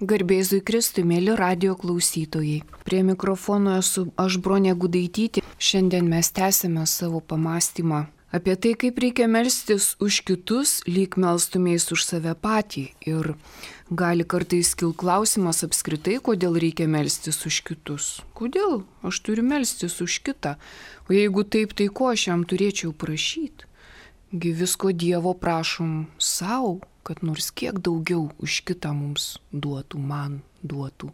Garbėzui Kristui, mėly radio klausytojai. Prie mikrofono esu aš, Bronė Gudaitytė. Šiandien mes tęsime savo pamastymą apie tai, kaip reikia melstis už kitus, lyg melstumės už save patį. Ir gali kartais kilti klausimas apskritai, kodėl reikia melstis už kitus. Kodėl aš turiu melstis už kitą? O jeigu taip, tai ko aš jam turėčiau prašyti? Gi visko Dievo prašom savo, kad nors kiek daugiau už kitą mums duotų, man duotų.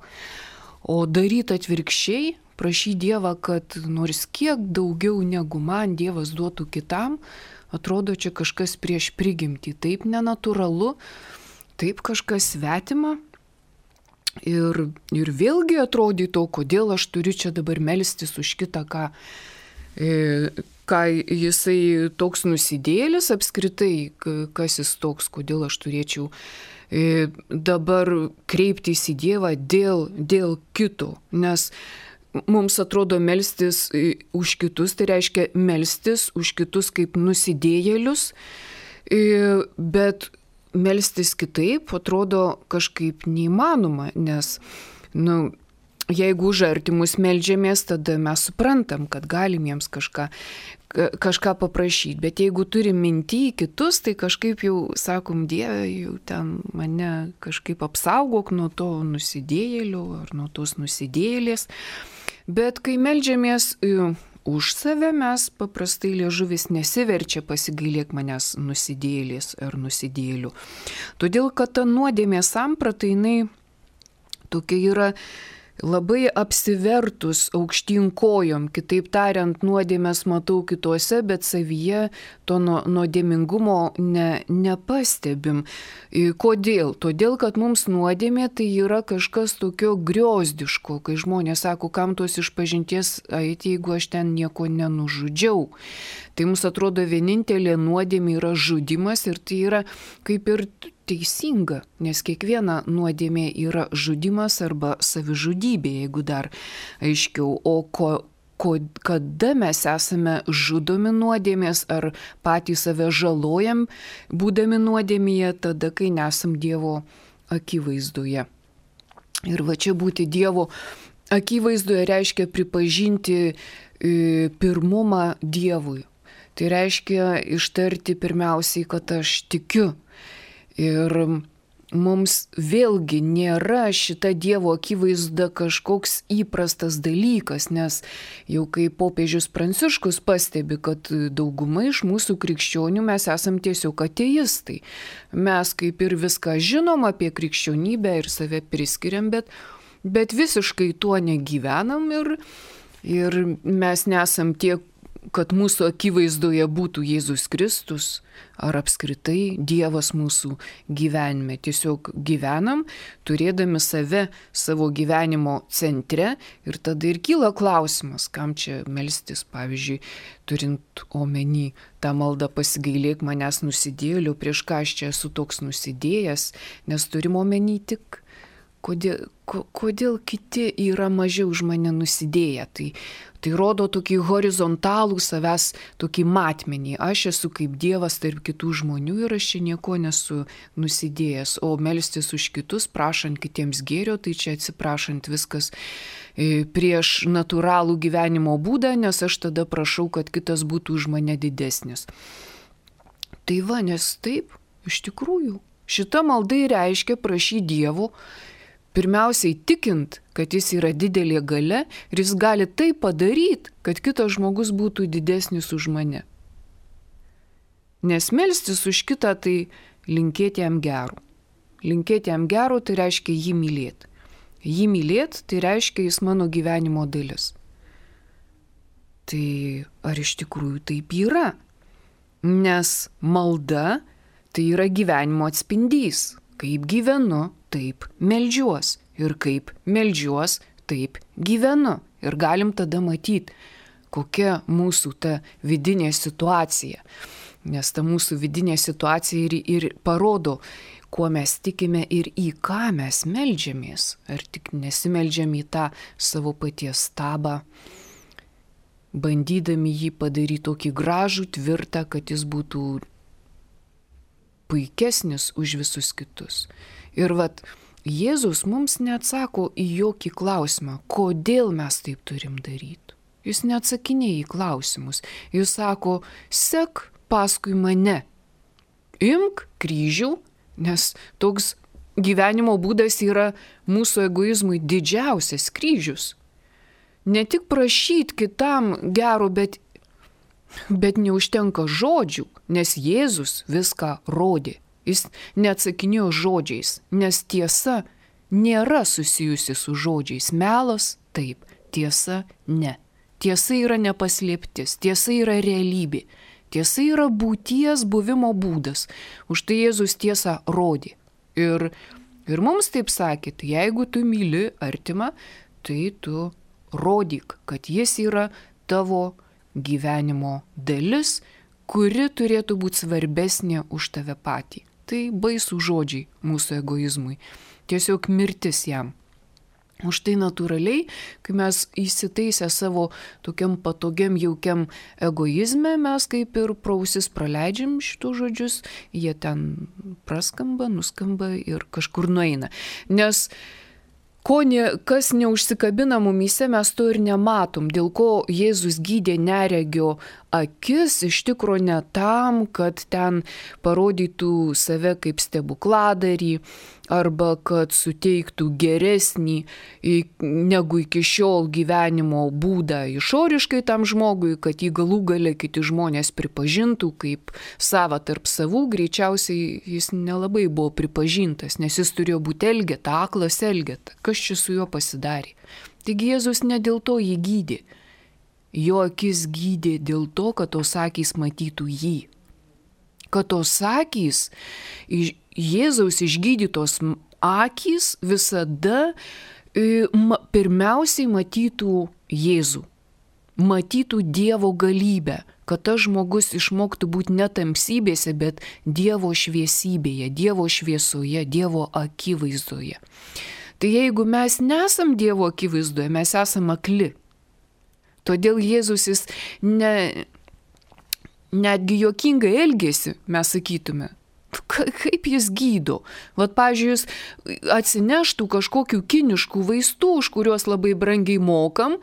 O daryti atvirkščiai, prašyti Dievą, kad nors kiek daugiau negu man Dievas duotų kitam, atrodo čia kažkas prieš prigimtį. Taip nenatūralu, taip kažkas svetima. Ir vėlgi atrodytų, kodėl aš turiu čia dabar melstis už kitą, ką jisai toks nusidėlis apskritai, kas jis toks, kodėl aš turėčiau dabar kreiptis į Dievą dėl kito. Nes mums atrodo melstis už kitus, tai reiškia melstis už kitus kaip nusidėjėlius, bet melstis kitaip atrodo kažkaip neįmanoma, nes, jeigu už artimus meldžiamės, tada mes suprantam, kad galim jiems kažką paprašyti. Bet jeigu turim mintį į kitus, tai kažkaip jau sakom, Dieve, jau ten mane kažkaip apsaugok nuo to nusidėjėlio ar nuo tos nusidėjėlės. Bet kai meldžiamės už save, mes paprastai liežuvis nesiverčia pasigailėk manęs nusidėjėlės ar nusidėjėlių. Todėl, kad ta nuodėmės samprata, jinai tokia yra labai apsivertus aukštyn kojom, kitaip tariant, nuodėmės matau kituose, bet savyje to nuodėmingumo nepastebim. Kodėl? Todėl, kad mums nuodėmė tai yra kažkas tokio griozdiško, kai žmonės sako, kam tos išpažinties eiti, jeigu aš ten nieko nenužudžiau. Tai mums atrodo vienintelė nuodėmė yra žudimas ir tai yra kaip ir teisinga, nes kiekviena nuodėmė yra žudimas arba savižudybė, jeigu dar aiškiau. O kada mes esame žudomi nuodėmės ar patys save žalojam, būdami nuodėmėje, tada, kai nesam Dievo akivaizdoje. Ir va čia būti Dievo akivaizdoje reiškia pripažinti pirmumą Dievui. Tai reiškia ištarti pirmiausiai, kad aš tikiu. Ir mums vėlgi nėra šita Dievo akivaizda kažkoks įprastas dalykas, nes jau kaip popiežius Pranciškus pastebi, kad dauguma iš mūsų krikščionių mes esam tiesiog ateistai. Mes kaip ir viską žinom apie krikščionybę ir save priskiriam, bet visiškai tuo negyvenam ir mes nesam tie, kad mūsų akivaizdoje būtų Jėzus Kristus ar apskritai Dievas mūsų gyvenime. Tiesiog gyvenam, turėdami save savo gyvenimo centre ir tada ir kyla klausimas, kam čia melstis, pavyzdžiui, turint omeny tą maldą pasigailėk manęs nusidėjėlių, prieš ką aš čia esu toks nusidėjęs, nes turim omeny tik kodėl kiti yra mažiau už mane nusidėję. Tai rodo tokį horizontalų savęs, tokį matmenį. Aš esu kaip Dievas tarp kitų žmonių ir aš čia nieko nesu nusidėjęs. O melstis už kitus, prašant kitiems gėrio, tai čia atsiprašant viskas prieš natūralų gyvenimo būdą, nes aš tada prašau, kad kitas būtų už mane didesnis. Tai va, nes taip, iš tikrųjų, šita malda reiškia prašyti Dievo, pirmiausiai tikint, kad jis yra didelė galia ir jis gali tai padaryti, kad kitas žmogus būtų didesnis už mane. Nes melstis už kitą tai linkėti jam gero. Linkėti jam gero tai reiškia jį mylėti. Jį mylėti tai reiškia jis mano gyvenimo dalis. Tai ar iš tikrųjų taip yra? Nes malda tai yra gyvenimo atspindys. Kaip gyvenu, taip meldžiuos. Ir kaip meldžiuos, taip gyvenu. Ir galim tada matyti, kokia mūsų ta vidinė situacija. Nes ta mūsų vidinė situacija ir parodo, kuo mes tikime ir į ką mes meldžiamės. Ar tik nesimeldžiam į tą savo paties stabą, bandydami jį padaryti tokį gražų, tvirtą, kad jis būtų puikesnis už visus kitus. Ir vat Jėzus mums neatsako į jokį klausimą, kodėl mes taip turim daryti. Jis neatsakinėja į klausimus. Jis sako, sek paskui mane. Imk kryžių, nes toks gyvenimo būdas yra mūsų egoizmui didžiausias kryžius. Ne tik prašyti kitam gero, bet neužtenka žodžių, nes Jėzus viską rodė. Jis neatsakinėjo žodžiais, nes tiesa nėra susijusi su žodžiais. Melas taip, tiesa ne. Tiesa yra nepaslėptis, tiesa yra realybė. Tiesa yra būties buvimo būdas. Už tai Jėzus tiesą rodė. Ir mums taip sakėt, jeigu tu myli artimą, tai tu rodyk, kad jis yra tavo gyvenimo dalis, kuri turėtų būti svarbesnė už tave patį. Tai baisų žodžiai mūsų egoizmui. Tiesiog mirtis jam. Už tai natūraliai, kai mes įsitaisę savo tokiam patogiam, jaukiam egoizme, mes kaip ir prausis praleidžiam šitų žodžius, jie ten praskamba, nuskamba ir kažkur nueina. Nes kas neužsikabina mumyse, mes to ir nematom, dėl ko Jėzus gydė neregio akis, iš tikro ne tam, kad ten parodytų save kaip stebukladarį, arba kad suteiktų geresnį negu iki šiol gyvenimo būdą išoriškai tam žmogui, kad jį galų gale kiti žmonės pripažintų kaip savą tarp savų, greičiausiai jis nelabai buvo pripažintas, nes jis turėjo būti elgeta, aklas elgeta. Kas čia su juo pasidarė? Taigi Jėzus ne dėl to jį gydė. Jo akis gydė dėl to, kad tos akys matytų jį. Kad tos akys, Jėzaus išgydytos akys visada pirmiausiai matytų Jėzų. Matytų Dievo galybę, kad tas žmogus išmoktų būti ne tamsybėse, bet Dievo šviesybėje, Dievo šviesoje, Dievo akivaizdoje. Tai jeigu mes nesam Dievo akivaizdoje, mes esam akli. Todėl Jėzus jis netgi juokingai elgėsi, mes sakytume. Kaip jis gydo? Vat, pavyzdžiui, jis atsineštų kažkokių kiniškų vaistų, už kuriuos labai brangiai mokam,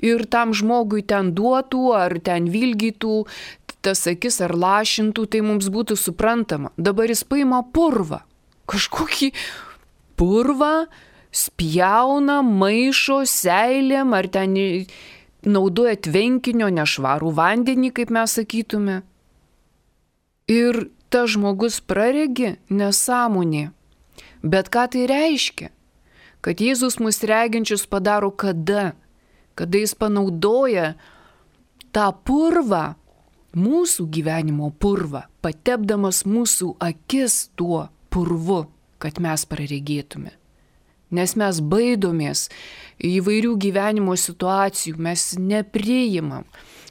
ir tam žmogui ten duotų, ar ten vilgytų tas akis, ar lašintų, tai mums būtų suprantama. Dabar jis paima purvą, kažkokį purvą, spjauna, maišo, seilėm, ar ten naudoja tvenkinio nešvarų vandenį, kaip mes sakytume. Ir tas žmogus praregi nesąmonė. Bet ką tai reiškia? Kad Jėzus mus reginčius padaro kada? Kada jis panaudoja tą purvą, mūsų gyvenimo purvą, patepdamas mūsų akis tuo purvu, kad mes praregėtume. Nes mes baidomės įvairių gyvenimo situacijų, mes nepriimam.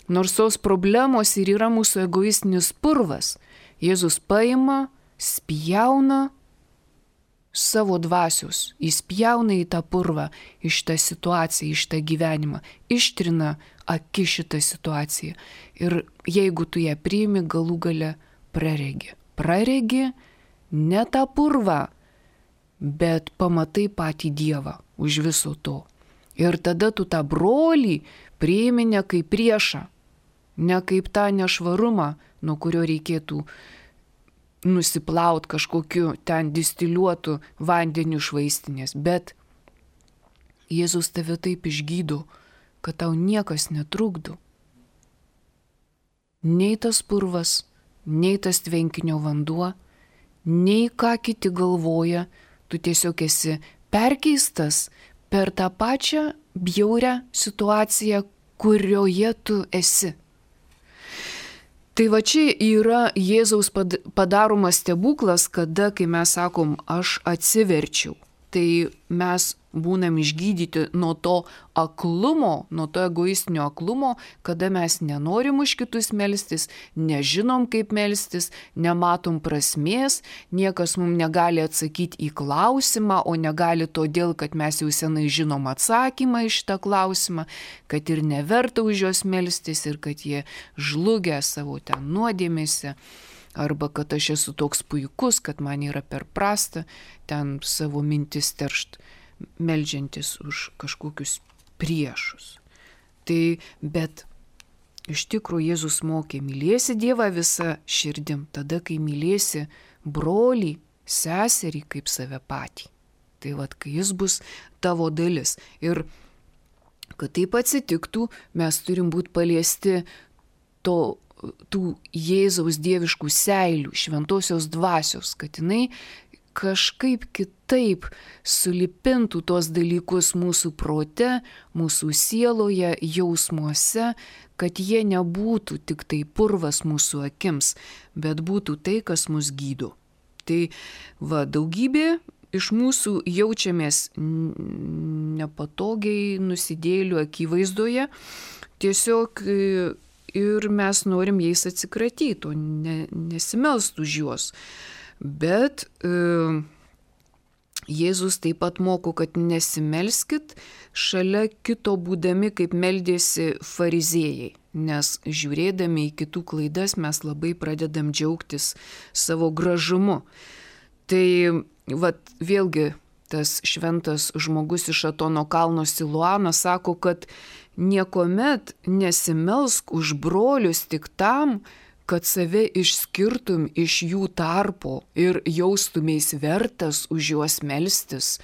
Nors tos problemos ir yra mūsų egoistinis purvas. Jėzus paima, spjauna savo dvasios, įspjauna į tą purvą, iš tą situaciją, iš tą gyvenimą, ištrina akį šitą situaciją. Ir jeigu tu ją priimi, galų gale praregi. Praregi ne tą purvą, bet pamatai patį Dievą už viso to. Ir tada tu tą brolį priimi ne kaip priešą, ne kaip tą nešvarumą, nuo kurio reikėtų nusiplaut kažkokiu ten distiliuotų vandeniu iš vaistinės, bet Jėzus tave taip išgydo, kad tau niekas netrukdo. Nei tas purvas, nei tas tvenkinio vanduo, nei ką kiti galvoja, tu tiesiog esi perkeistas per tą pačią bjaurią situaciją, kurioje tu esi. Tai va čia yra Jėzaus padaromas stebuklas, kada, kai mes sakom, aš atsiverčiau. Tai mes būnam išgydyti nuo to aklumo, nuo to egoistinio aklumo, kada mes nenorim už kitus melstis, nežinom kaip melstis, nematom prasmės, niekas mums negali atsakyti į klausimą, o negali todėl, kad mes jau senai žinom atsakymą į šitą klausimą, kad ir neverta už juos melstis ir kad jie žlugia savo ten nuodėmėse. arba kad aš esu toks puikus, kad man yra per prasta ten savo mintis teršt, meldžiantis už kažkokius priešus. Tai, bet iš tikrųjų Jėzus mokė, mylėsi Dievą visą širdim, tada, kai mylėsi brolį, seserį kaip save patį. Tai vat, kai jis bus tavo dalis. Ir kad taip atsitiktų, mes turim būti paliesti tų Jėzaus dieviškų seilių, šventosios dvasios, kad jinai kažkaip kitaip sulipintų tos dalykus mūsų prote, mūsų sieloje, jausmuose, kad jie nebūtų tik tai purvas mūsų akims, bet būtų tai, kas mus gydo. Tai daugybė iš mūsų jaučiamės nepatogiai nusidėjėlių akivaizdoje, tiesiog ir mes norim jais atsikratyti, o nesimelst už juos. Bet Jėzus taip pat moko, kad nesimelskit šalia kito būdami, kaip meldėsi fariziejai, nes žiūrėdami į kitų klaidas mes labai pradedam džiaugtis savo gražumu. Tai vėlgi tas šventas žmogus iš Atono kalno Siluanas sako, kad niekuomet nesimelsk už brolius tik tam, kad save išskirtum iš jų tarpo ir jaustumės vertas už juos melstis.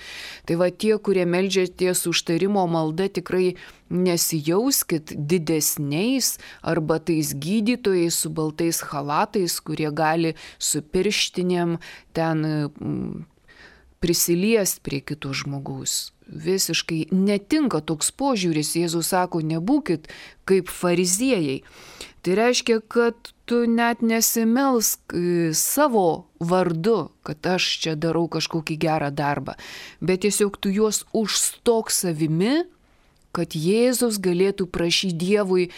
Tai tie, kurie meldžiatės užtarimo malda, tikrai nesijauskit didesniais arba tais gydytojais su baltais chalatais, kurie gali su pirštinėm ten prisiliest prie kito žmogaus. Visiškai netinka toks požiūris. Jėzus sako, nebūkit kaip fariziejai. Tai reiškia, kad tu net nesimelsk savo vardu, kad aš čia darau kažkokį gerą darbą, bet tiesiog tu juos užstok savimi, kad Jėzus galėtų prašyti Dievui,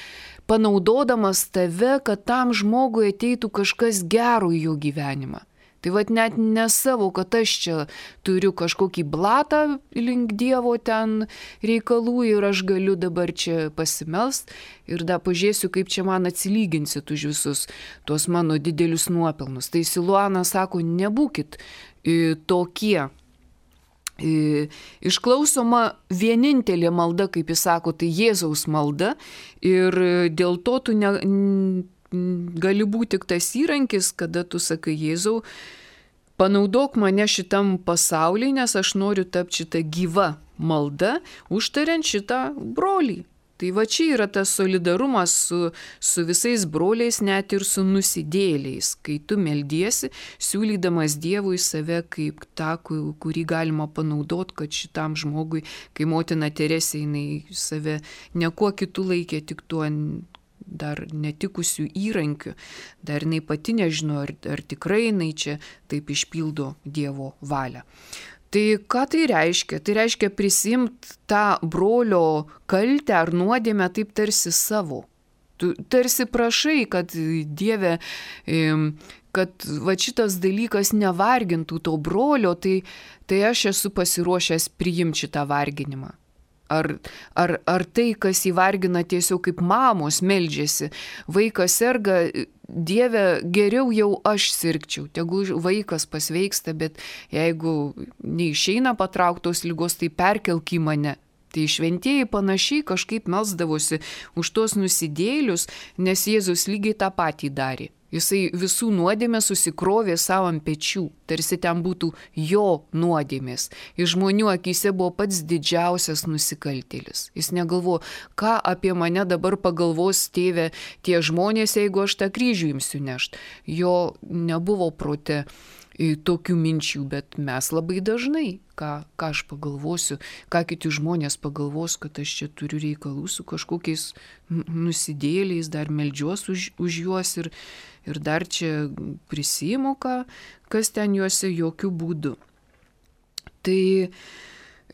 panaudodamas tave, kad tam žmogui ateitų kažkas gero į jo gyvenimą. Tai net ne savo, kad aš čia turiu kažkokį blatą link Dievo ten reikalų ir aš galiu dabar čia pasimelst ir dar pažiūrėsiu, kaip čia man atsilyginsit už visus tuos mano didelius nuopelnus. Tai Siluanas sako, nebūkit tokie. Išklausoma vienintelė malda, kaip jis sako, tai Jėzaus malda ir dėl to tu gali būti tik tas įrankis, kada tu sakai, Jėzau, panaudok mane šitam pasauliui, nes aš noriu tapti šitą gyvą maldą, užtariant šitą brolį. Tai čia yra tas solidarumas su visais broliais, net ir su nusidėjėliais, kai tu meldiesi, siūlydamas Dievui save kaip tą, kurį galima panaudoti, kad šitam žmogui, kai motina Teresė, jinai save niekuo kitu laikė, tik tuo dar netikusių įrankių, dar jinai pati nežino, ar tikrai jinai čia taip išpildo Dievo valią. Tai ką tai reiškia? Tai reiškia prisimti tą brolio kaltę ar nuodėmę taip tarsi savo. Tu tarsi prašai, kad Dieve, kad šitas dalykas nevargintų to brolio, tai aš esu pasiruošęs priimti šitą varginimą. Ar tai, kas įvargina tiesiog kaip mamos meldžiasi, vaikas serga, Dieve, geriau jau aš sirgčiau, tegul vaikas pasveiksta, bet jeigu neišeina patrauktos ligos, tai perkelk į mane. Tai šventieji panašiai kažkaip melsdavosi už tos nusidėjėlius, nes Jėzus lygiai tą patį darė. Jisai visų nuodėmės susikrovė savo ant pečių, tarsi ten būtų jo nuodėmės. Iš žmonių akyse buvo pats didžiausias nusikaltėlis. Jis negalvojo, ką apie mane dabar pagalvos Tėve tie žmonės, jeigu aš tą kryžių imsiu nešt. Jo nebuvo prote tokių minčių, bet mes labai dažnai, ką aš pagalvosiu, ką kiti žmonės pagalvos, kad aš čia turiu reikalų su kažkokiais nusidėliais, dar meldžiuos už juos ir dar čia prisiimu, kas ten juose, jokių būdų. Tai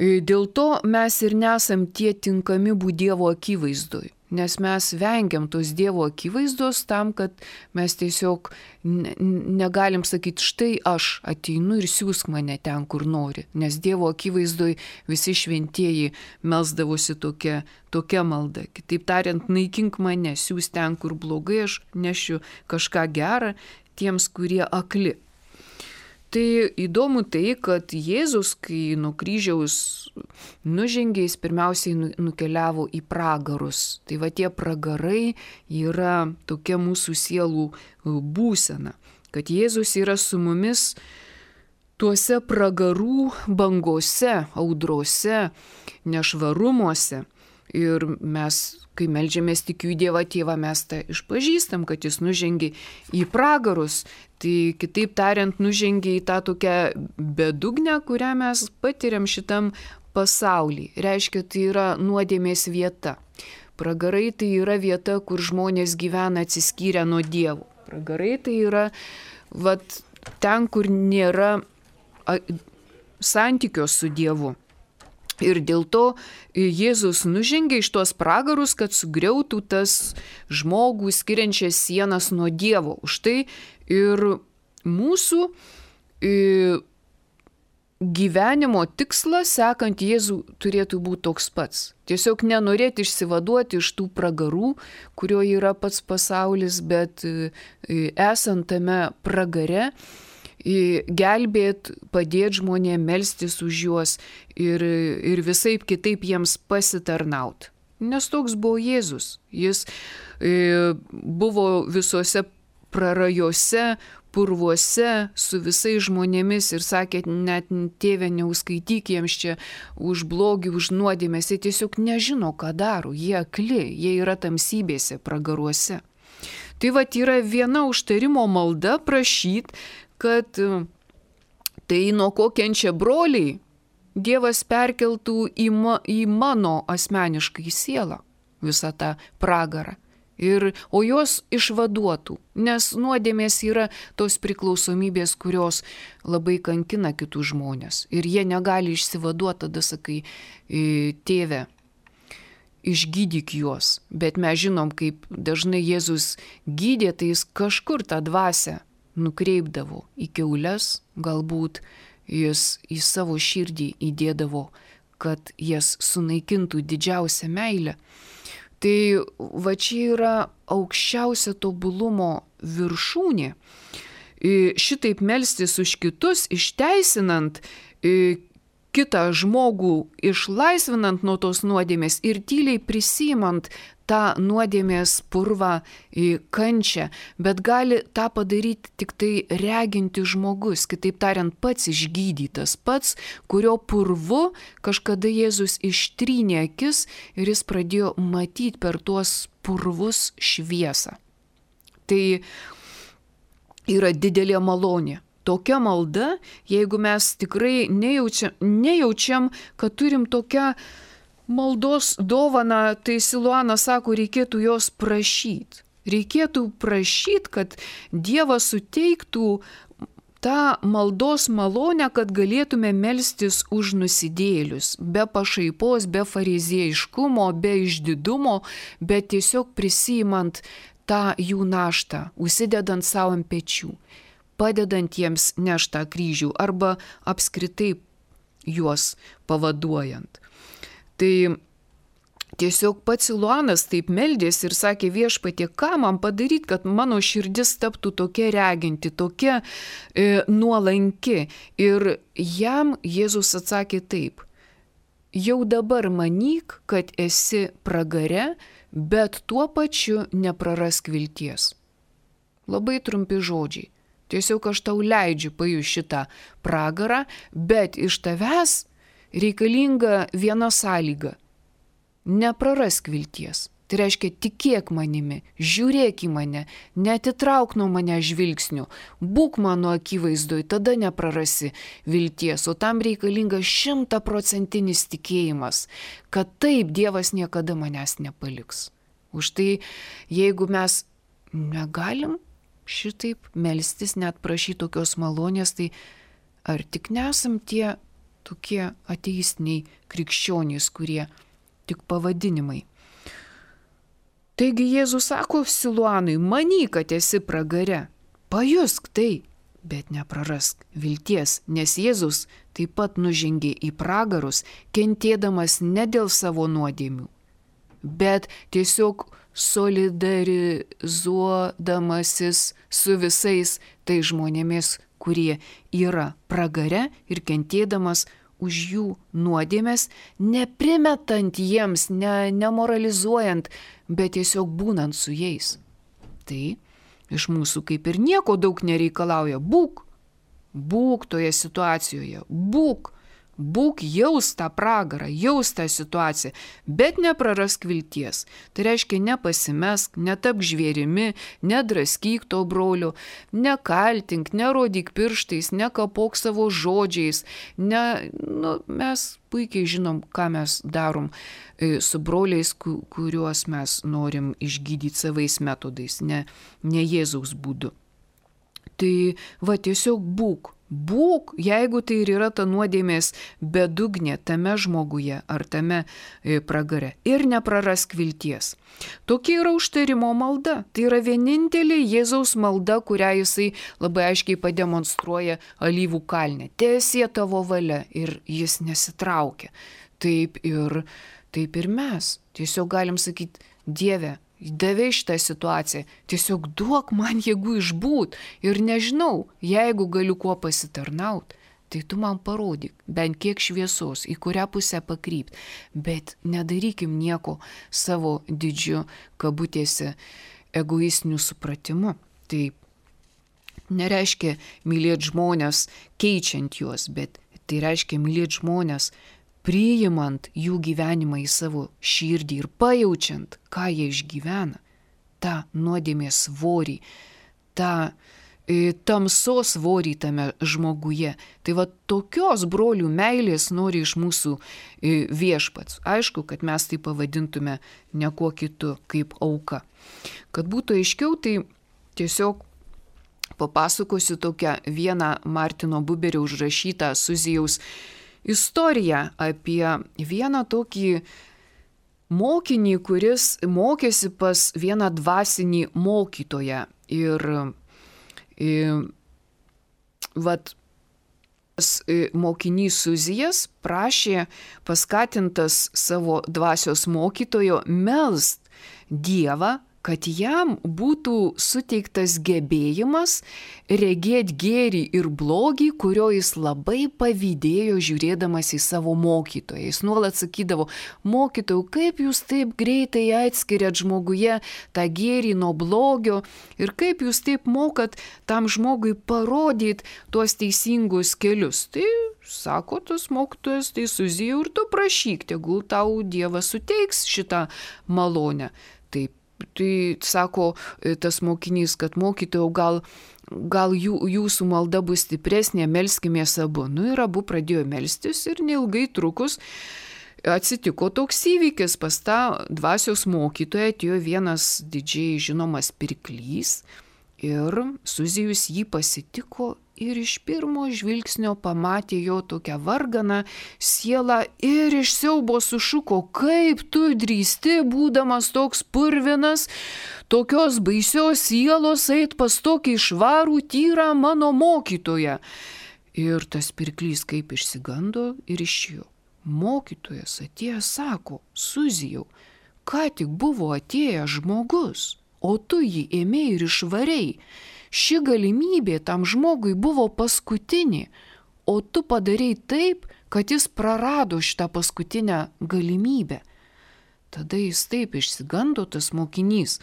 dėl to mes ir nesam tie tinkami būti Dievo akivaizdoj. Nes mes vengiam tos Dievo akivaizdos tam, kad mes tiesiog negalim sakyti, štai aš ateinu ir siūsk mane ten, kur nori. Nes Dievo akivaizdoj visi šventieji melsdavosi tokia malda. Kitaip tariant, naikink mane, siūsk ten, kur blogai, aš nešiu kažką gerą, tiems, kurie akli. Tai įdomu tai, kad Jėzus, kai nuo kryžiaus nužengė, jis pirmiausiai nukeliavo į pragarus. Tai va tie pragarai yra tokia mūsų sielų būsena, kad Jėzus yra su mumis tuose pragarų bangose, audrose, nešvarumuose. Ir mes, kai meldžiamės tikiu į Dievą Tėvą, mes tą išpažįstam, kad jis nužengė į pragarus. Tai kitaip tariant, nužengė į tą tokią bedugnę, kurią mes patiriam šitam pasaulyje. Reiškia, tai yra nuodėmės vieta. Pragarai tai yra vieta, kur žmonės gyvena atsiskyrę nuo Dievo. Pragarai tai yra ten, kur nėra santykio su Dievu. Ir dėl to Jėzus nužengė iš tuos pragarus, kad sugriautų tas žmogų skiriančias sienas nuo Dievo. Už tai ir mūsų gyvenimo tikslas, sekant Jėzų, turėtų būti toks pats. Tiesiog nenorėti išsivaduoti iš tų pragarų, kurio yra pats pasaulis, bet esant tame pragare, gelbėt, padėti žmonėms, melstis už juos ir visaip kitaip jiems pasitarnaut. Nes toks buvo Jėzus. Jis buvo visose prarajose, purvuose su visais žmonėmis ir sakė, net Tėve, neuskaityk jiems čia už blogį, už nuodėmės. Jie tiesiog nežino, ką daro. Jie akli, jie yra tamsybėse, pragaruose. Tai yra viena užtarimo malda prašyti, kad tai nuo ko kenčia broliai, Dievas perkeltų į mano asmeniškai sielą visą tą pragarą. O jos išvaduotų, nes nuodėmės yra tos priklausomybės, kurios labai kankina kitus žmonės. Ir jie negali išsivaduoti, tada sakai, Tėve, išgydyk juos. Bet mes žinom, kaip dažnai Jėzus gydė, tai jis kažkur tą dvasią nukreipdavo į kiaules, galbūt jis į savo širdį įdėdavo, kad jas sunaikintų didžiausią meilę. Tai čia yra aukščiausia tobulumo viršūnė. Šitaip melstis už kitus, išteisinant kitą žmogų, išlaisvinant nuo tos nuodėmės ir tyliai prisimant tą nuodėmės purvą kančią, bet gali tą padaryti tik tai reginti žmogus, kitaip tariant, pats išgydytas, pats, kurio purvu kažkada Jėzus ištrynė akis ir jis pradėjo matyti per tuos purvus šviesą. Tai yra didelė malonė. Tokia malda, jeigu mes tikrai nejaučiam, kad turim tokią maldos dovaną, tai Siluanas sako, reikėtų jos prašyti. Reikėtų prašyti, kad Dievas suteiktų tą maldos malonę, kad galėtume melstis už nusidėjėlius, be pašaipos, be fariziejiškumo, be išdidumo, bet tiesiog prisimant tą jų naštą, užsidedant savo ant pečių, padedant jiems neštą kryžių arba apskritai juos pavaduojant. Tai tiesiog pats Siluanas taip meldėsi ir sakė, Viešpatie, ką man padaryti, kad mano širdis taptų tokia reginti, tokia nuolanki. Ir jam Jėzus atsakė taip, jau dabar manyk, kad esi pragare, bet tuo pačiu neprarask vilties. Labai trumpi žodžiai. Tiesiog aš tau leidžiu pajusti šitą pragarą, bet iš tavęs reikalinga viena sąlyga. Neprarask vilties. Tai reiškia, tikėk manimi, žiūrėk į mane, neatitrauk nuo mane žvilgsnių, būk mano akivaizdoj, tada neprarasi vilties, o tam reikalinga 100% tikėjimas, kad taip Dievas niekada manęs nepaliks. Už tai, jeigu mes negalim šitaip melstis, net prašyti tokios malonės, tai ar tik nesam tie tokie ateistiniai krikščionys, kurie tik pavadinimai. Taigi Jėzus sako Siluanui, manyk, kad esi pragare, pajusk tai, bet neprarask vilties, nes Jėzus taip pat nužengė į pragarus, kentėdamas ne dėl savo nuodėmių, bet tiesiog solidarizuodamasis su visais tai žmonėmis, kurie yra pragare ir kentėdamas už jų nuodėmes, neprimetant jiems, nemoralizuojant, bet tiesiog būnant su jais. Tai iš mūsų kaip ir nieko daug nereikalauja. Būk toje situacijoje, būk jaus tą pragarą, jaus tą situaciją, bet neprarask vilties. Tai reiškia, nepasimesk, netapk žvėrimi, nedraskyk to brolio, nekaltink, nerodyk pirštais, nekapok savo žodžiais. Mes puikiai žinom, ką mes darom su broliais, kuriuos mes norim išgydyti savais metodais, ne Jėzaus būdu. Tai tiesiog būk, jeigu tai ir yra ta nuodėmės bedugnė tame žmoguje ar tame pragare. Ir neprarask vilties. Tokia yra užtarimo malda. Tai yra vienintelė Jėzaus malda, kurią jisai labai aiškiai pademonstruoja Alyvų kalne. Teesie tavo valia ir jis nesitraukia. Taip ir mes. Tiesiog galim sakyti, Dieve, davei šitą situaciją, tiesiog duok man jėgų išbūt ir nežinau, jeigu galiu kuo pasitarnaut, tai tu man parodyk bent kiek šviesos, į kurią pusę pakrypt, bet nedarykim nieko savo didžiu kabutėse egoistiniu supratimu. Tai nereiškia mylėti žmonės keičiant juos, bet tai reiškia mylėti žmonės priimant jų gyvenimą į savo širdį ir pajaučiant, ką jie išgyvena, tą nuodėmės svorį, tą tamsos svorį tame žmoguje. Tai tokios brolių meilės nori iš mūsų viešpats. Aišku, kad mes tai pavadintume ne kuo kitu kaip auka. Kad būtų aiškiau, tai tiesiog papasakosiu tokią vieną Martino Buberio užrašytą Suzijaus istoriją apie vieną tokį mokinį, kuris mokėsi pas vieną dvasinį mokytoją. Ir mokinys Suzijas prašė paskatintas savo dvasios mokytojo melst Dievą, kad jam būtų suteiktas gebėjimas regėti gėrį ir blogį, kurio jis labai pavydėjo žiūrėdamas į savo mokytoją. Jis nuolat sakydavo, mokytojau, kaip jūs taip greitai atskiriat žmoguje tą gėrį nuo blogio ir kaip jūs taip mokat tam žmogui parodyti tuos teisingus kelius. Tai sako tas mokytojas, tai Suzijau ir tu prašyk, tegul tau Dievas suteiks šitą malonę. Taip. Tai sako tas mokinys, kad mokytojau, gal jūsų malda bus stipresnė, melskimės abu. Ir abu pradėjo melstis ir neilgai trukus atsitiko toks įvykis. Pas tą dvasios mokytoją atėjo vienas didžiai žinomas pirklys ir Suzijus jį pasitiko ir iš pirmo žvilgsnio pamatė jo tokią varganą sielą ir iš siaubo sušuko, kaip tu drįsti, būdamas toks purvinas, tokios baisios sielos eit pas tokį švarų tyrą mano mokytoją. Ir tas pirklys kaip išsigando ir išėjo. Mokytojas atėjęs sako, Suzijau, ką tik buvo atėjęs žmogus, o tu jį ėmei ir išvarei. Ši galimybė tam žmogui buvo paskutinė, o tu padarei taip, kad jis prarado šitą paskutinę galimybę. Tada jis taip išsigando tas mokinys,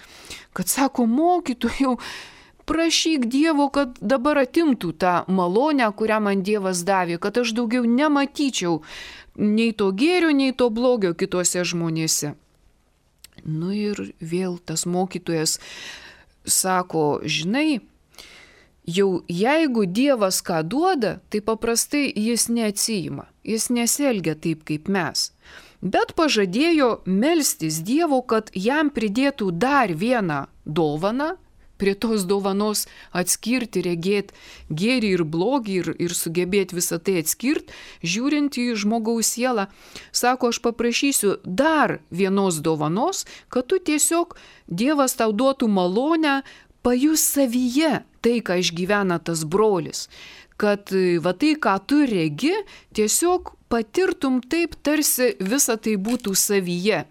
kad sako, mokytojau, prašyk Dievo, kad dabar atimtų tą malonę, kurią man Dievas davė, kad aš daugiau nematyčiau nei to gėrio, nei to blogio kitose žmonėse. Ir vėl tas mokytojas sako, žinai, jau jeigu Dievas ką duoda, tai paprastai jis neatsiima, jis nesielgia taip kaip mes. Bet pažadėjo melstis Dievo, kad jam pridėtų dar vieną dovaną, prie tos dovanos atskirti, regėti gėrį ir blogį ir sugebėti visą tai atskirti, žiūrint į žmogaus sielą. Sako, aš paprašysiu dar vienos dovanos, kad tu tiesiog Dievas tau duotų malonę pajus savyje tai, ką išgyvena tas brolis. Kad tai, ką tu regi, tiesiog patirtum taip, tarsi visa tai būtų savyje.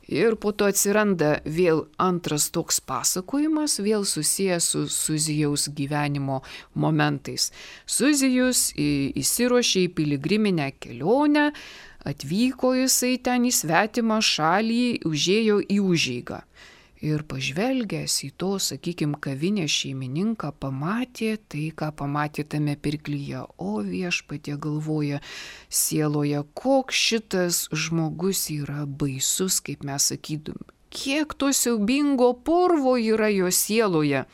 Ir po to atsiranda vėl antras toks pasakojimas, vėl susijęs su Suzijaus gyvenimo momentais. Suzijus įsiruošė į piligriminę kelionę, atvyko jisai ten į svetimą šalį, užėjo į užeigą. Ir pažvelgęs į to, sakykime, kavinės šeimininką, pamatė tai, ką pamatė tame pirklyje. O viešpatie, galvoja sieloje, koks šitas žmogus yra baisus, kaip mes sakydum. Kiek to siaubingo purvo yra jo sieloje.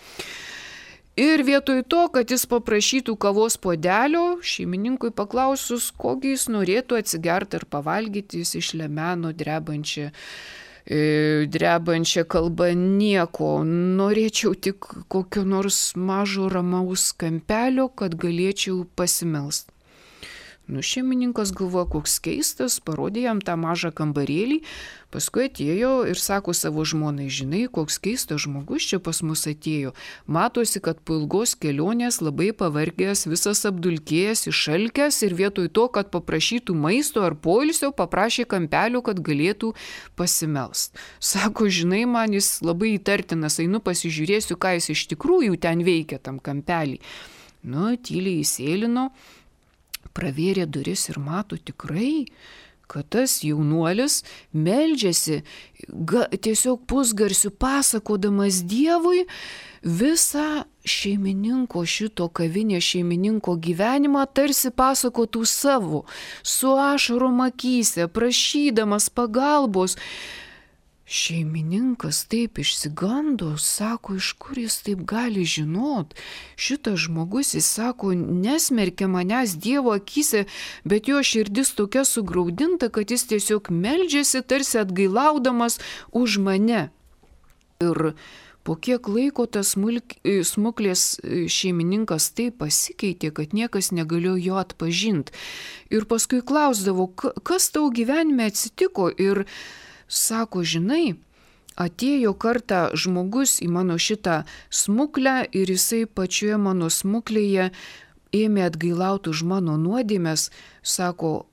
Ir vietoj to, kad jis paprašytų kavos puodelio, šeimininkui paklausus, kokį jis norėtų atsigerti ar pavalgyti, jis išlemeno drebančią kalbą nieko. Norėčiau tik kokio nors mažo ramaus kampelio, kad galėčiau pasimelst. Šeimininkas galvoja, koks keistas, parodė jam tą mažą kambarėlį, paskui atėjo ir sako savo žmonai, žinai, koks keistas žmogus čia pas mus atėjo. Matosi, kad po ilgos kelionės labai pavargęs, visas apdulkėjęs, išalkęs ir vietoj to, kad paprašytų maisto ar poilsio, paprašė kampelio, kad galėtų pasimelst. Sako, žinai, man jis labai įtartinas, einu pasižiūrėsiu, ką jis iš tikrųjų ten veikia tam kampelį. Tyliai įsėlino, pravėrė duris ir mato tikrai, kad tas jaunuolis meldžiasi, tiesiog pusgarsiu pasakodamas Dievui visą šeimininko, šito kavinės šeimininko gyvenimą, tarsi pasakotų savo, su ašarom akyse, prašydamas pagalbos. Šeimininkas taip išsigando, sako, iš kur jis taip gali žinot. Šitas žmogus, jis sako, nesmerkia manęs Dievo akyse, bet jo širdis tokia sugraudinta, kad jis tiesiog meldžiasi, tarsi atgailaudamas už mane. Ir po kiek laiko tas smuklės šeimininkas taip pasikeitė, kad niekas negalėjo jo atpažinti. Ir paskui klausdavo, kas tau gyvenime atsitiko, ir sako, žinai, atėjo kartą žmogus į mano šitą smuklę ir jisai pačioje mano smuklėje ėmė atgailauti už mano nuodėmes. Sako,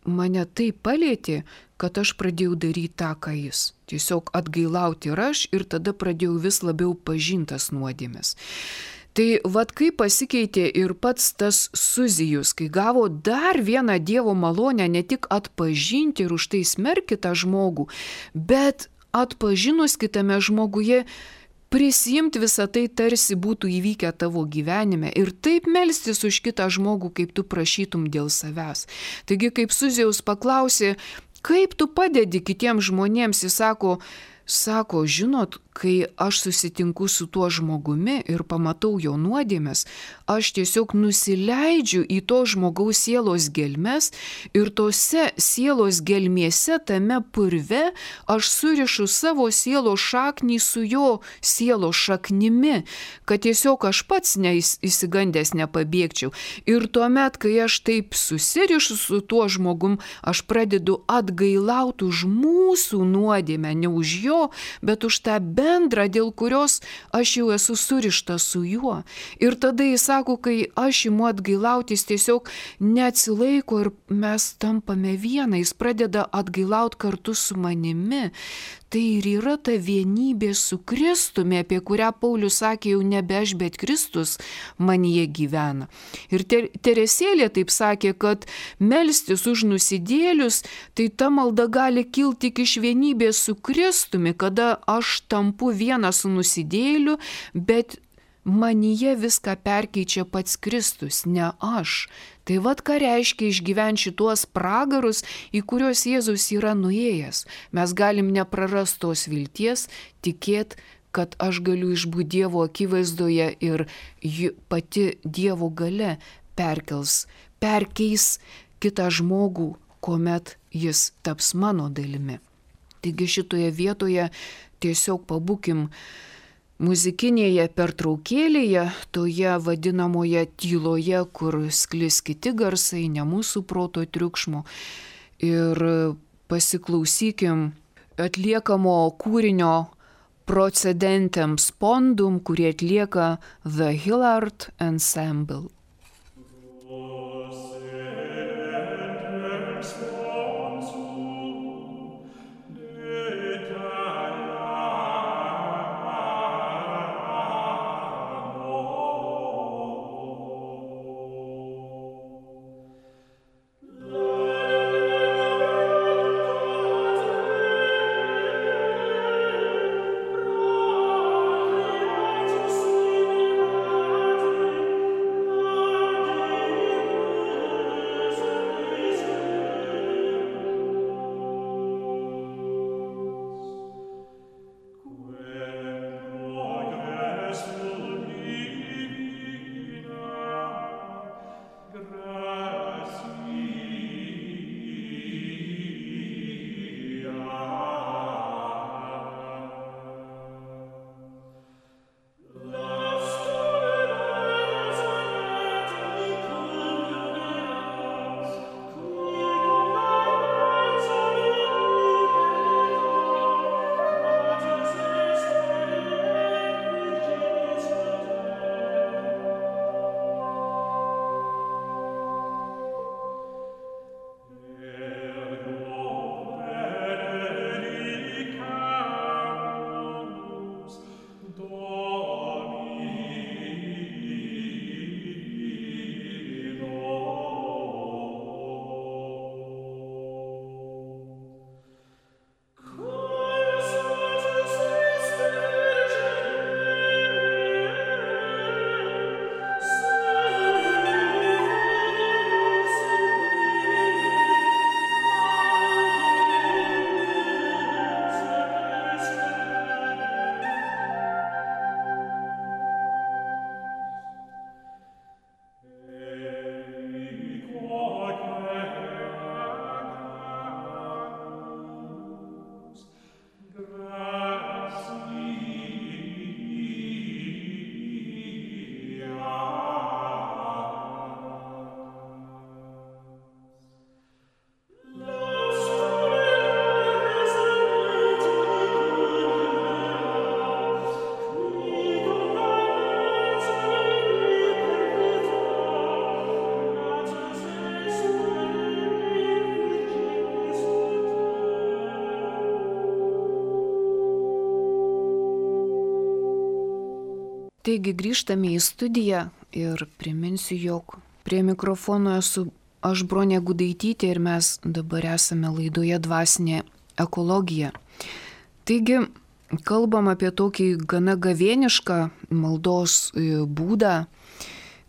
mane taip palėtė, kad aš pradėjau daryti tą, ką jis. Tiesiog atgailauti ir aš, ir tada pradėjau vis labiau pažintas nuodėmes. Tai kaip pasikeitė ir pats tas Suzijus, kai gavo dar vieną Dievo malonę ne tik atpažinti ir už tai smerkti tą žmogų, bet atpažinus kitame žmoguje prisimti visą tai, tarsi būtų įvykę tavo gyvenime ir taip melstis už kitą žmogų, kaip tu prašytum dėl savęs. Taigi, kaip Suzijaus paklausė, kaip tu padedi kitiems žmonėms, jis sako, žinot, kai aš susitinku su tuo žmogumi ir pamatau jo nuodėmes, aš tiesiog nusileidžiu į to žmogaus sielos gelmes ir tose sielos gelmėse, tame purve, aš surišu savo sielos šaknį su jo sielos šaknimi, kad tiesiog aš pats neįsigandęs nepabėgčiau. Ir tuomet, kai aš taip susirišu su tuo žmogum, aš pradedu atgailauti už mūsų nuodėmę, ne už jo, bet už tą bendrą, dėl kurios aš jau esu surišta su juo. Ir tada jis sako, kai aš imu atgailauti, jis tiesiog neatsilaiko ir mes tampame viena, jis pradeda atgailauti kartu su manimi. Tai ir yra ta vienybė su Kristumi, apie kurią Paulius sakė, jau nebe aš, bet Kristus manyje gyvena. Ir Teresėlė taip sakė, kad melstis už nusidėlius, tai ta malda gali kilti tik iš vienybės su Kristumi, kada aš tampu vienas su nusidėliu, bet manyje viską perkeičia pats Kristus, ne aš. Tai ką reiškia išgyventi šituos pragarus, į kuriuos Jėzus yra nuėjęs. Mes galim neprarasti tos vilties, tikėti, kad aš galiu išbūti Dievo akivaizdoje ir pati Dievo galia perkeis kitą žmogų, kuomet jis taps mano dalimi. Taigi šitoje vietoje tiesiog pabūkim muzikinėje pertraukėlėje, toje vadinamoje tyloje, kur sklis kiti garsai, ne mūsų proto triukšmo. Ir pasiklausykim atliekamo kūrinio Procedentem Spondum, kurį atlieka The Hilliard Ensemble. Taigi grįžtame į studiją ir priminsiu, jog prie mikrofono esu aš, Bronė Gudaitytė, ir mes dabar esame laidoje Dvasinė ekologija. Taigi kalbam apie tokį gana gavėnišką maldos būdą,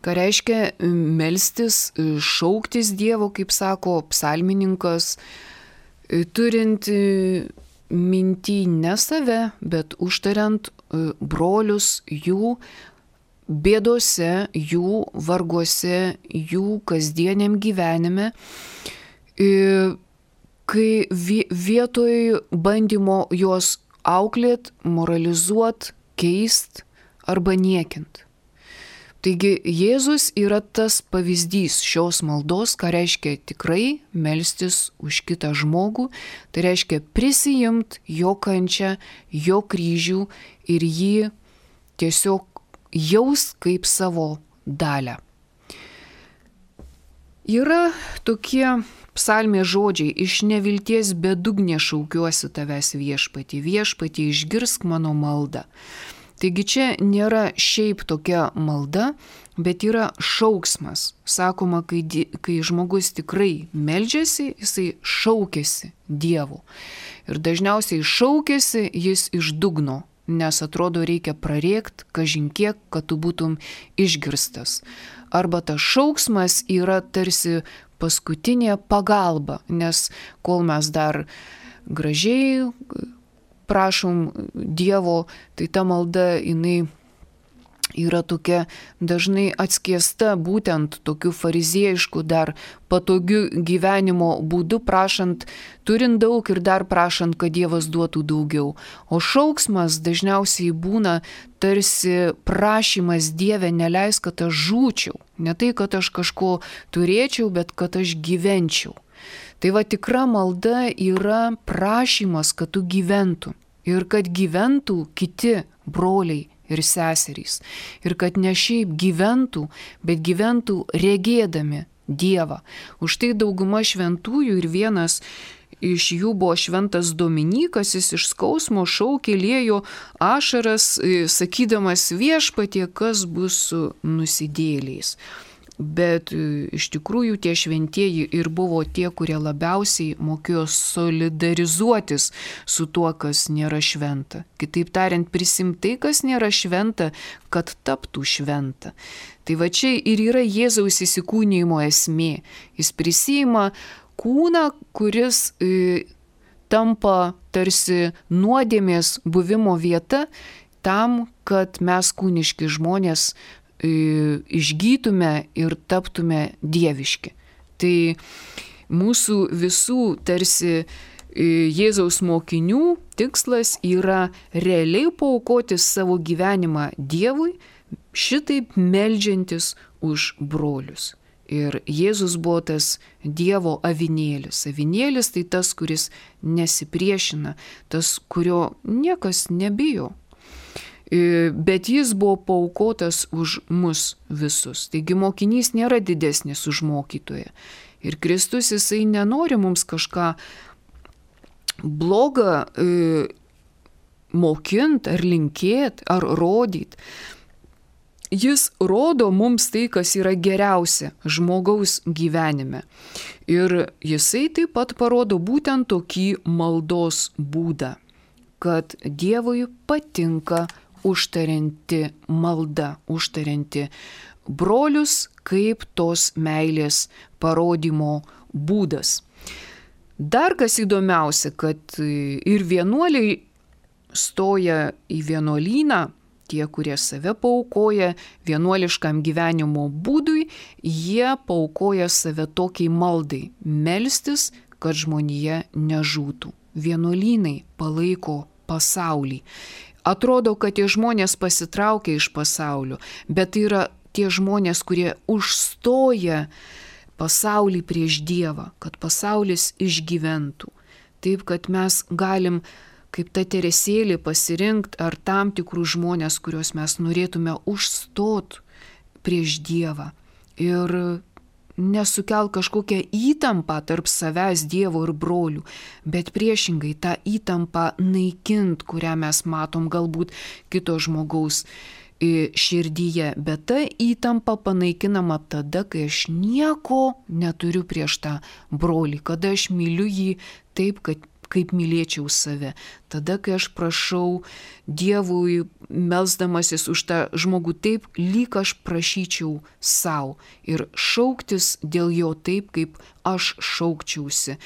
ką reiškia melstis, šauktis Dievo, kaip sako psalmininkas, turint mintį ne save, bet užtariant brolius jų bėdose, jų varguose, jų kasdieniam gyvenime, kai vietoj bandymo juos auklėt, moralizuot, keist arba niekint. Taigi Jėzus yra tas pavyzdys šios maldos, ką reiškia tikrai melstis už kitą žmogų, tai reiškia prisiimt jo kančią, jo kryžių ir jį tiesiog jaust kaip savo dalę. Yra tokie psalmės žodžiai: iš nevilties bedugnė šaukiuosi tavęs viešpatie, viešpatie išgirsk mano maldą. Taigi čia nėra šiaip tokia malda, bet yra šauksmas. Sakoma, kai žmogus tikrai meldžiasi, jisai šaukiasi Dievu. Ir dažniausiai šaukiasi jis iš dugno, nes atrodo reikia prarėkt kažin kiek, kad tu būtum išgirstas. Arba tas šauksmas yra tarsi paskutinė pagalba, nes kol mes dar gražiai prašom Dievo, tai ta malda jinai yra tokia dažnai atskiesta būtent tokiu fariziejišku dar patogiu gyvenimo būdu, prašant, turint daug ir dar prašant, kad Dievas duotų daugiau. O šauksmas dažniausiai būna tarsi prašymas: Dieve, neleis, kad aš žūčiau. Ne tai, kad aš kažko turėčiau, bet kad aš gyvenčiau. Tai va, tikra malda yra prašymas, kad tu gyventum ir kad gyventų kiti broliai ir seserys. Ir kad ne šiaip gyventų, bet gyventų regėdami Dievą. Už tai dauguma šventųjų, ir vienas iš jų buvo šventas Dominykas, jis iš skausmo šaukė, liejo ašaras, sakydamas: viešpatie, kas bus su nusidėjėliais. Bet iš tikrųjų tie šventieji ir buvo tie, kurie labiausiai mokėjo solidarizuotis su tuo, kas nėra šventa. Kitaip tariant, prisimti tai, kas nėra šventa, kad taptų šventa. Tai va čia ir yra Jėzaus įsikūnijimo esmė. Jis prisima kūną, kuris tampa tarsi nuodėmės buvimo vieta tam, kad mes kūniški žmonės išgytume ir taptume dieviški. Tai mūsų visų tarsi Jėzaus mokinių tikslas yra realiai paaukoti savo gyvenimą Dievui, šitaip meldžiantis už brolius. Ir Jėzus buvo tas Dievo avinėlis. Avinėlis tai tas, kuris nesipriešina, tas, kurio niekas nebijo. Bet jis buvo paaukotas už mus visus. Taigi mokinys nėra didesnis už mokytoją. Ir Kristus, jisai nenori mums kažką blogą mokint, ar linkėt, ar rodyt. Jis rodo mums tai, kas yra geriausia žmogaus gyvenime. Ir jisai taip pat parodo būtent tokį maldos būdą, kad Dievui patinka užtarianti malda, užtarianti brolius kaip tos meilės parodymo būdas. Dar kas įdomiausia, kad ir vienuoliai stoja į vienuolyną, tie, kurie save paaukoja vienuoliškam gyvenimo būdui, jie paaukoja save tokiai maldai – melstis, kad žmonija nežūtų. Vienuolynai palaiko pasaulį. Atrodo, kad tie žmonės pasitraukia iš pasaulio, bet tai yra tie žmonės, kurie užstoja pasaulį prieš Dievą, kad pasaulis išgyventų. Taip, kad mes galim, kaip ta Teresėlė, pasirinkti ar tam tikrus žmonės, kuriuos mes norėtume užstot prieš Dievą. Ir nesukelt kažkokią įtampą tarp savęs, Dievo ir brolių, bet priešingai tą įtampą naikint, kurią mes matom galbūt kito žmogaus širdyje, bet ta įtampa panaikinama tada, kai aš nieko neturiu prieš tą brolį, kada aš myliu jį taip, kaip mylėčiau save. Tada, kai aš prašau Dievui, melsdamasis už tą žmogų taip, lyg aš prašyčiau savo ir šauktis dėl jo taip, kaip aš šaukčiausi,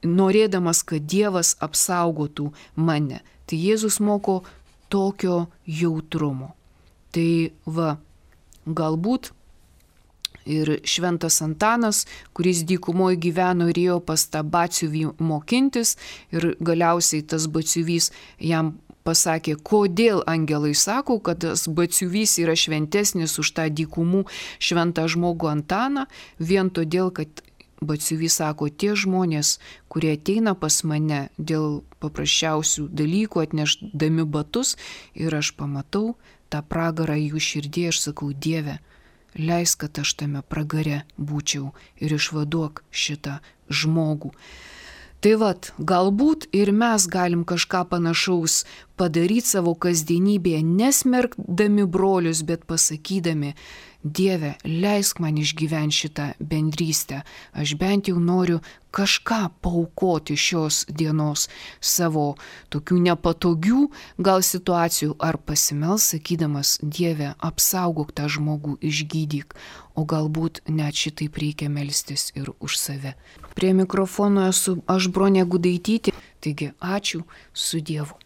norėdamas, kad Dievas apsaugotų mane. Tai Jėzus moko tokio jautrumo. Tai va, galbūt ir šventas Antanas, kuris dykumoje gyveno ir ėjo pas tą batsiuvį mokintis ir galiausiai tas batsiuvys jam pasakė, kodėl angelai sako, kad tas batsiuvys yra šventesnis už tą dykumų šventą žmogų Antaną, vien todėl, kad batsiuvys sako, tie žmonės, kurie ateina pas mane dėl paprasčiausių dalykų, atnešdami batus ir aš pamatau tą pragarą jų širdį, aš sakau, Dieve, leisk, kad aš tame pragare būčiau ir išvaduok šitą žmogų. Tai vat, galbūt ir mes galim kažką panašaus padaryti savo kasdienybėje, nesmerkdami brolius, bet pasakydami, Dieve, leisk man išgyventi šitą bendrystę. Aš bent jau noriu kažką paaukoti šios dienos savo tokių nepatogių gal situacijų ar pasimels, sakydamas, Dieve, apsaugok tą žmogų, išgydyk, o galbūt net šitaip reikia melstis ir už save. Prie mikrofono esu aš, Bronė Gudaitytė, taigi ačiū, su Dievu.